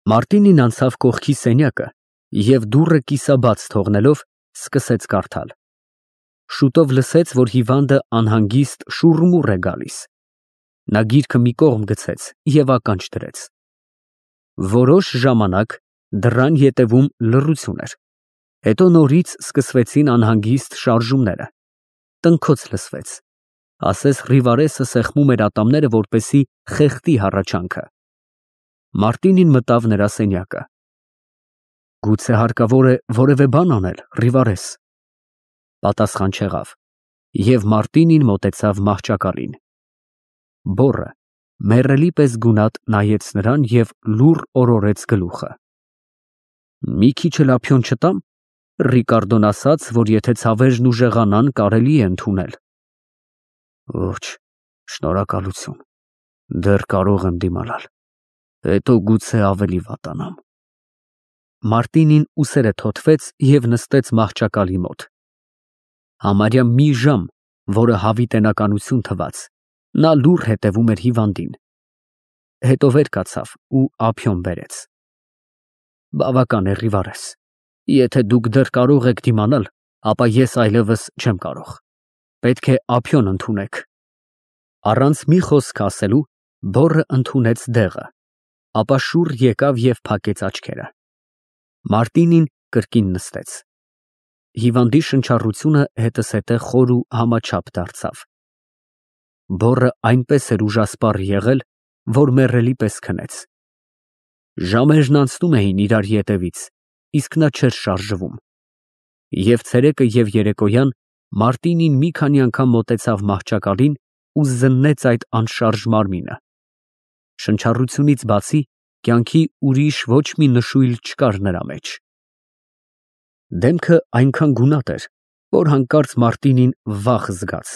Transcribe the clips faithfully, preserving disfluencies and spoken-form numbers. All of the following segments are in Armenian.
Մարտինին անցավ կողքի սենյակը և դուռը կիսաբաց թողնելով սկսեց կարդալ։ Շուտով լսեց, որ հիվանդը անհանգիստ շուռմուռ է գալիս։ Նա գիրքը մի կողմ գցեց և ականջ դրեց։ Որոշ ժամանակ դռան ետևում լռություն էր, հետո նորից սկսվեցին անհանգիստ շարժումները, տնքոց լսվեց, ասես Ռիվարեսը սեղմում էր ատամները, որպեսզի խեղդի հառաչանքը։ Մարտինին մտավ նրա սենյակը։ Գուցե հարկավոր է որևէ բան անել, Ռիվարես։ Պատասխան չեղավ, և Մարտինին մոտեցավ մահճակալին։ Բոռը մեռելի պես գունատ նայեց նրան և լուռ օրորեց գլուխը։ Մի քիչ էլ ափիոն չտա՞մ։ Ռիկարդոն ասաց, որ եթե ցավերն ուժեղանան, կարելի է ընդունել։ Ոչ, շնորհակալություն, դեռ կարող եմ դիմանալ, հետո գուցե ավելի վատանամ։ Մարտինին ուսերը թոթվեց և նստեց մահճակալի մոտ։ Համարյա մի ժամ, որը հավիտենականություն թվաց, նա լուռ հետևում էր հիվանդին։ Հետո վեր կացավ ու ափիոն բերեց։ Բավական է, Ռիվարես, եթե դուք դեռ կարող եք դիմանալ, ապա ես այլևս չեմ կարող։ Պետք է ափիոն ընդունեք։ Առանց մի խոսք ասելու բոռը ընդունեց դեղը, ապա շուռ եկավ և փակեց աչքերը։ Մարտինին կրկին նստեց։ Հիվանդի շնչառությունը հետզհետե խոր ու համաչափ դարձավ։ Բոռը այնպես էր ուժասպառ եղել, որ մեռելի պես քնեց։ Ժամերն անցնում էին իրար ետևից, իսկ նա չէր շարժվում։ Եվ ցերեկը և երեկոյան Մարտինին մի քանի անգամ մոտեցավ մահճակալին ու զննեց այդ անշարժ մարմինը։ Շնչառությունից բացի կյանքի ուրիշ ոչ մի նշույլ չկար նրա մեջ։ Դեմքը այնքան գունատ էր, որ հանկարծ Մարտինին վախ զգաց։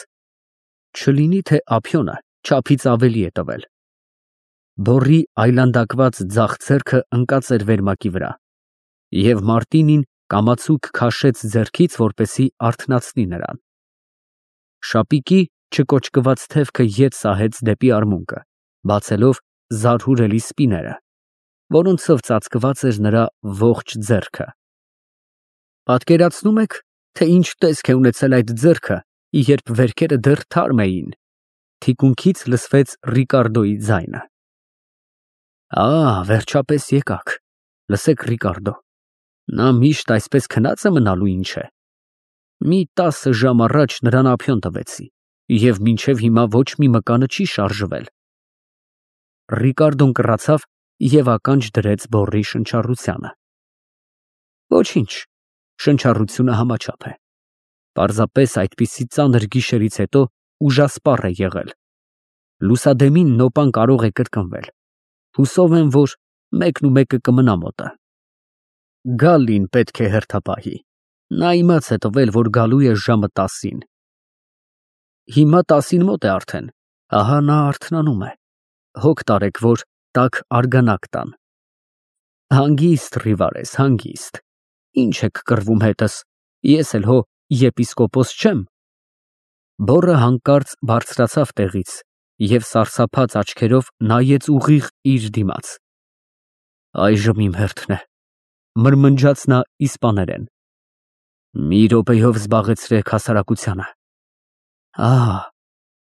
Չլինի թե ափիոնը չափից ավելի է տվել։ Բոռի այլանդակված ձախ ձեռքը ընկած էր վերմակի վրա, և Մարտինին կամացուկ քաշեց ձեռքից, որպեսզի արթնացնի նրան։ Շապիկի չկոճկված թևքը ետ սահեց դեպի արմունկը, բացելով զարհուրելի սպիները, որոնցով ծածկված էր նրա ողջ ձեռքը։ Պատկերացնո՞ւմ եք, թե ինչ տեսք է ունեցել այդ ձեռքը, երբ վերքերը դեռ թարմ էին։ Թիկունքից լսվեց Ռիկարդոյի ձայնը։ Ա, վերջապես եկաք։ Լսեք, Ռիկարդո, նա միշտ այսպես քնած է մնալու, ինչ է։ Մի տասը ժամ առաջ նրան ափիոն տվեցի, և մինչև հիմա ոչ մի մկանը չի շարժվել։ Ռիկարդոն կռացավ և ականջ դրեց բոռի շնչառությանը։ Ոչինչ, շնչառությունը համաչափ է։ Պարզապես այդպիսի ծանր գիշերից հետո ուժասպառ է եղել։ Լուսադեմին նոպան կարող է կրկնվել։ Հուսով եմ, որ մեկն ու մեկը կմնա մոտը։ Գալին պետք է հերթապահի։ Նա իմաց է տվել, որ գալու է ժամը տասին։ Հիմա տասին մոտ է արդեն, ահա նա արթնանում է։ Հոգ տարեք, որ տաք արգանակ տան։ Հանգիստ, Ռիվարես, հանգիստ։ Ինչ եք կռվում հետս, ես էլ հո եպիսկոպոս չեմ։ Բոռը հանկարծ բարձրացավ տեղից և սարսափած աչքերով նայեց ուղիղ իր դիմաց։ Այժմ իմ հերթն է, մրմնջաց նա իսպաներեն։ Մի րոպեով զբաղեցրեք հասարակությանը։ Ահ,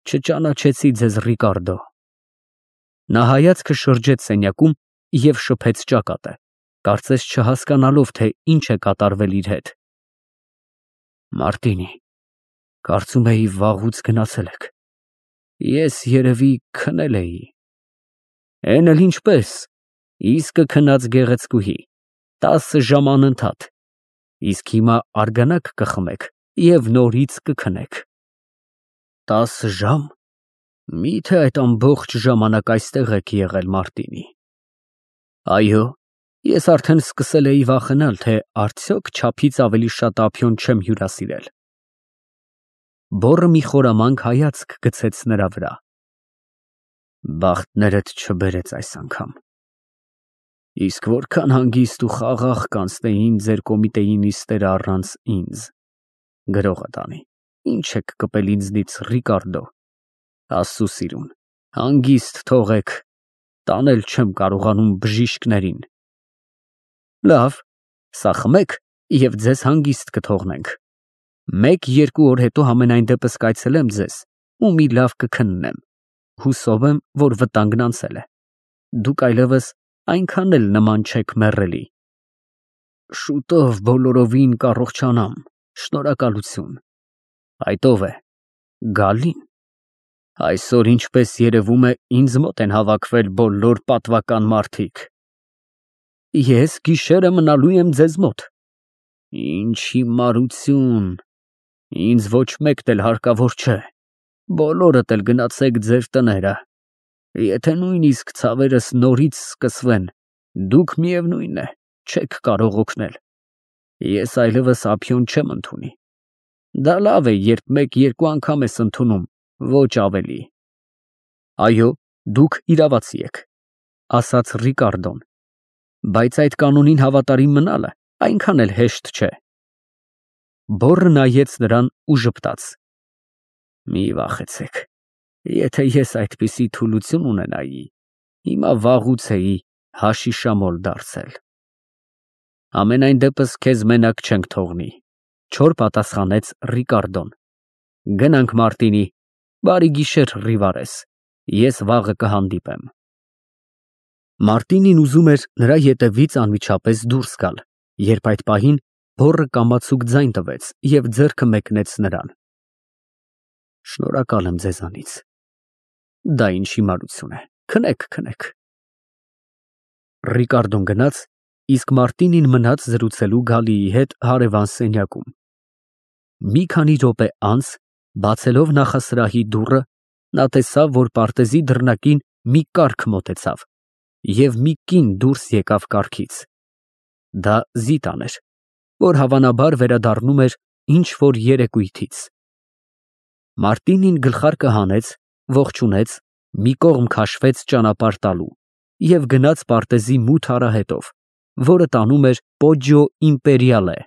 չճանաչեցի ձեզ, Ռիկարդո։ Նա հայացքը շրջեց սենյակում և շփեց ճակատը, կարծես չհասկանալով, թե ինչ է կատարվել իր հետ։ Մարտինի, կարծում էի վաղուց գնացել եք։ Ես երևի քնել էի։ Էն էլ ինչպես, իսկը քնած գեղեցկուհի, տասը ժամ անընդհատ, իսկ հիմա արգանակ կխմեք և նորից կքնեք։ Տասը ժամ, մի՞թե այդ ամբողջ ժամանակ այստեղ եք եղել, Մարտինի։ Այո, ես արդեն սկսել էի վախենալ, թե արդյոք չափից ավելի շատ ափիոն չեմ հյուրասիրել։ Բոռը մի խորամանկ հայացք գցեց նրա վրա։ Բախտներդ չբերեց այս անգամ։ Իսկ որքան հանգիստ ու խաղաղ կանցնեին ձեր կոմիտեի նիստերը առանց ինձ։ Գրողը տանի, ինչ եք կպել ինձնից, Ռիկարդո։ Աստծո սիրուն, հանգիստ թողեք, տանել չեմ կարողանում բժիշկներին, Լավ, սա խմեք և ձեզ հանգիստ կթողնենք։ Մեկ֊երկու օր հետո համենայն դեպս կայցելեմ ձեզ ու մի լավ կքննեմ, հուսով եմ, որ վտանգն անցել է, դուք այլևս այնքան էլ նման չեք մեռելի։ Շուտով բոլորովին կառողջանամ, շնորհակալություն։ Այդ ո՞վ է, Գալին։ Այսօր, ինչպես երևում է, ինձ մոտ են հավաքվել բոլոր պատվական մարդիկ։ Ես գիշերը մնալու եմ ձեզ մոտ։ Ինչ հիմարություն, ինձ ոչ մեկն էլ հարկավոր չէ, բոլորդ էլ գնացեք ձեր տները, եթե նույնիսկ ցավերս նորից սկսվեն, դուք միևնույն է, չեք կարող օգնել, ես այլևս ափիոն չեմ ընդունի, դա լավ է, երբ մեկ-երկու անգամ ես ընդունում, ոչ ավելի։ Այո, դուք իրավացի եք, ասաց Ռիկարդոն, բայց այդ կանոնին հավատարիմ մնալը այնքան էլ հեշտ չէ։ Բոռը նայեց նրան ու ժպտաց. Մի վախեցեք, եթե ես այդպիսի թուլություն ունենայի, հիմա վաղուց էի հաշիշամոլ դարձել։ Ամենայն դեպս քեզ մենակ չենք թողնի, չոր պատասխանեց Ռիկարդոն։ Գնանք Մարտինի, բարի գիշեր, Ռիվարես, ես վաղը կհանդիպեմ։ Մարտինին ուզում էր նրա ետևից անմիջապես դուրս գալ, երբ այդ պահին բոռը կամացուկ ձայն տվեց և ձեռքը մեկնեց նրան։ Շնորհակալ եմ ձեզանից։ Դա ինչ հիմարություն է, քնեք, քնեք։ Ռիկարդոն գնաց, իսկ Մարտինին մնաց զրուցելու Գալիի հետ հարևան սենյակում։ Մի քանի րոպե անց, բացելով նախասրահի դուռը, նա տեսավ, որ պարտեզի դռնակին մի կառք մոտեցավ, և մի կին դուրս եկավ կառքից։ Դա Զիտան էր, որ հավանաբար վերադառնում էր ինչ-որ երեկույթից։ Մարտինին գլխարկը հանեց, ողջունեց, մի կողմ քաշվեց ճանապարհ տալու և գնաց պարտեզի մութ արահետով, որը տանում էր Պոջիո Իմպերիալե։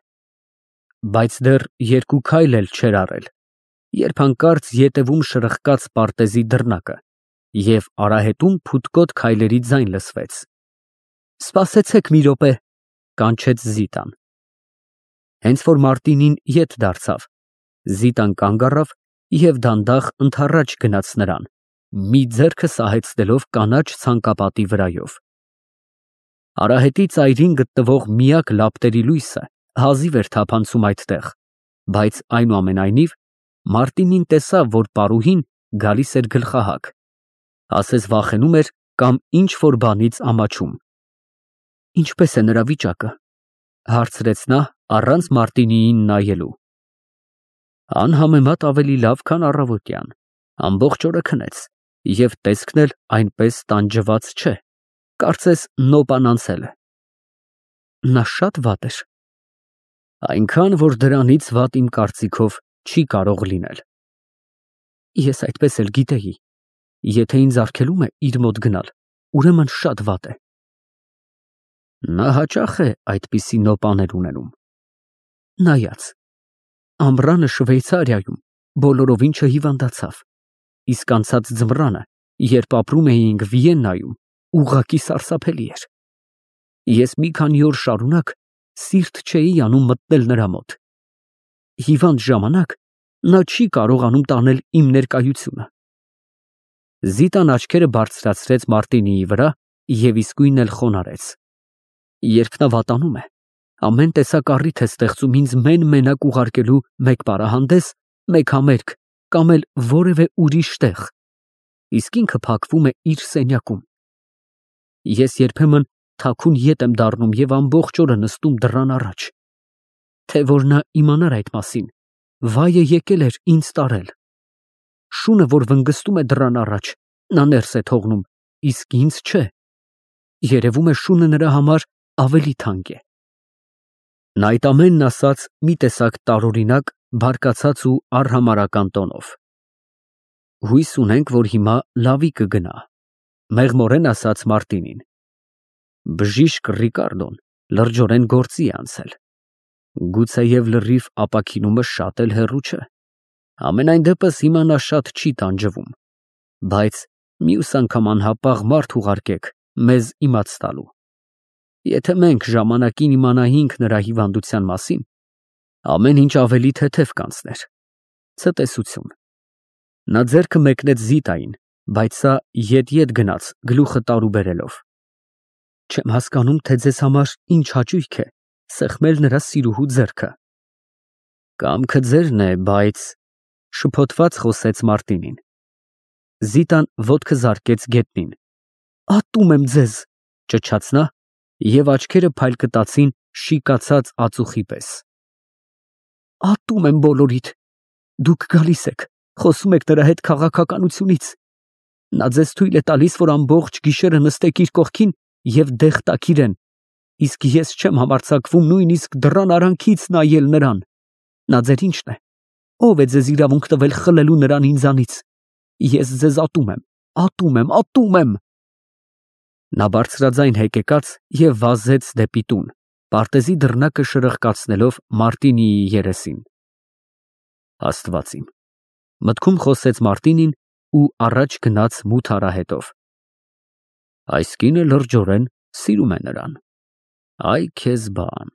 Բայց դեռ երկու քայլ էլ չէր արել, երբ հանկարծ ետևում շրխկաց պարտեզի դռնակը, և արահետում փութկոտ քայլերի ձայն լսվեց։ Սպասեցեք մի րոպե, կանչեց Զիտան։ Հենց որ Մարտինին ետ դարձավ, Զիտան կանգ առավ և դանդաղ ընդառաջ գնաց նրան, մի ձեռքը սահեցնելով կանաչ ցանկապատի վրայով։ Արահետի ծայրին գտնվող միակ լապտերի լույսը հազիվ էր թափանցում այդտեղ, բայց այնուամենայնիվ Մարտինին տեսավ, որ պարուհին գալիս էր գլխահակ, ասես վախենում էր կամ ինչ-որ բանից ամաչում։ Ինչպե՞ս է նրա վիճակը, հարցրեց նա առանց Մարտինիին նայելու։ Անհամեմատ ավելի լավ, քան առավոտյան, ամբողջ օրը քնեց, և տեսքն էլ այնպես տանջված չէ, կարծես նոպան անցել է։ Նա շատ վատ էր։ Այնքան, որ դրանից վատ իմ կարծիքով չի կարող լինել։ Ես այդպես էլ գիտեի, եթե ինձ արգելում է իր մոտ գնալ, ուրեմն շատ վատ է։ Նա հաճախ է այդպիսի նոպաներ ունենում։ Նայած, ամռանը Շվեյցարիայում բոլորովին չհիվանդացավ, իսկ անցած ձմռանը, երբ ապրում էինք Վիեննայում, ուղղակի սարսափելի էր։ Ես մի քանի օր շարունակ սիրտ չէի անում մտնել նրա մոտ։ Հիվանդ ժամանակ նա չի կարողանում տանել իմ ներկայությունը։ Զիտան աչքերը բարձրացրեց Մարտինիի վրա և իսկույն էլ խոնարհեց։ Երբ նա վատանում է, ամեն տեսակ առիթ է ստեղծում ինձ մեն֊մենակ ուղարկելու մեկ պարահանդես, մեկ համերգ կամ էլ որևէ ուրիշ տեղ, իսկ ինքը փակվում է իր սենյակում։ Ես երբեմն թաքուն ետ եմ դառնում և ամբողջ օրը նստում դռան առաջ։ Թե որ նա իմանար այդ մասին, վայը եկել էր ինձ տարել։ Շունը, որ վնգստում է դռան առաջ, նա ներս է թողնում, իսկ ինձ չէ։ Երևում է շունը նրա համար ավելի թանկ է։ Նա այդ ամենն ասաց մի տեսակ տարօրինակ, բարկացած ու արհամարհական տոնով։ Հույս ունենք, որ հիմա լավի կգնա, մեղմորեն ասաց Մարտինին։ Բժիշկ Ռիկարդոն լրջորեն գործի է անցել։ Գուցեև լրիվ ապաքինումը շատ էլ հեռու չէ։ Համենայն դեպս հիմա նա շատ չի տանջվում, բայց մյուս անգամ անհապաղ մարդ ուղարկեք մեզ իմաց տալու։ Եթե մենք ժամանակին իմանայինք նրա հիվանդության մասին, ամեն ինչ ավելի թեթև կանցներ։ Ցտեսություն։ Նա ձեռքը մեկնեց Զիտային, բայց սա ետ-ետ գնաց, գլուխը տարուբերելով։ Չեմ հասկանում, թե ձեզ համար ինչ հաճույք է սեղմել նրա սիրուհու ձեռքը։ Կամքը ձերն է, բայց շփոթված խոսեց Մարտինին։ Զիտան ոտքը զարկեց գետնին։ Ատում եմ ձեզ, ճչաց նա, և աչքերը փայլկտացին շիկացած ածուխի պես։ Ատում եմ բոլորիդ։ Դուք գալիս եք, խոսում եք նրա հետ քաղաքականությունից։ Նա ձեզ թույլ է տալիս, որ ամբողջ գիշերը նստեք իր կողքին և դեղ տաք իրեն, իսկ ես չեմ համարձակվում նույնիսկ դռան արանքից նայել նրան։ Նա ձեր ինչն է։ Ո՞վ է ձեզ իրավունք տվել խլելու նրան ինձանից։ Ես ձեզ ատում եմ, ատում եմ, ատում եմ։ Նա բարձրաձայն հեկեկաց և վազեց դեպի տուն, պարտեզի դռնակը շրխկացնելով Մարտինիի երեսին։ Աստված իմ, մտքում խոսեց Մարտինին ու առաջ գնաց մութ արահետով։ Այս կինը լրջորեն սիրում է նրան։ Այ քեզ բան։